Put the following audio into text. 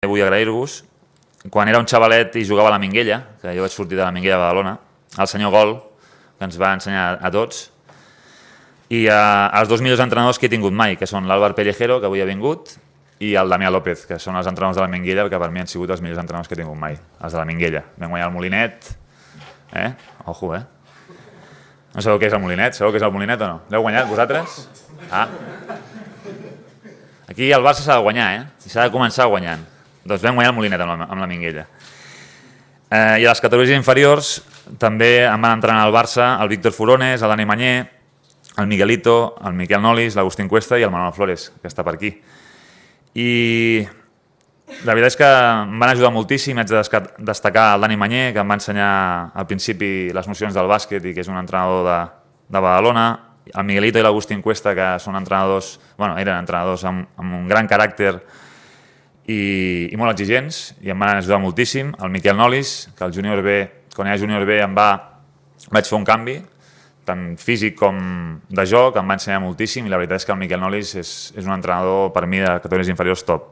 Vull agrair-vos. Quan era un xavalet i jugava a la Minguella, que jo vaig sortir de la Minguella de Badalona, el senyor Gol, que ens va ensenyar a tots, i els dos millors entrenadors que he tingut mai, que són l'Àlvar Pellejero, que avui ha vingut, i el Damià López, que són els entrenadors de la Minguella, que per mi han sigut els millors entrenadors que he tingut mai, els de la Minguella. Vam guanyar el Molinet, Ojo, No sabeu què és el Molinet? Sabeu què és el Molinet o no? L'heu guanyat, vosaltres? Aquí el Barça s'ha de guanyar, I s'ha de començar guanyant. Doncs vam guanyar el Molinet amb la Minguella. I a les categories inferiors també em van entrenar al Barça el Víctor Furones, el Dani Mañé, el Miguelito, el Miquel Nolis, l'Agustín Cuesta i el Manuel Flores, que està per aquí. I la veritat és que em van ajudar moltíssim. Haig de destacar el Dani Mañé, que em va ensenyar al principi les nocions del bàsquet i que és un entrenador de Badalona, el Miguelito i l'Agustín Cuesta, que són entrenadors, eren entrenadors amb un gran caràcter i molt exigents, i em van ajudar moltíssim. El Miquel Nolis, que al Júnior B, quan era Júnior B, vaig fer un canvi, tant físic com de joc, em va ensenyar moltíssim, i la veritat és que el Miquel Nolis és un entrenador, per mi, de categories inferiors top.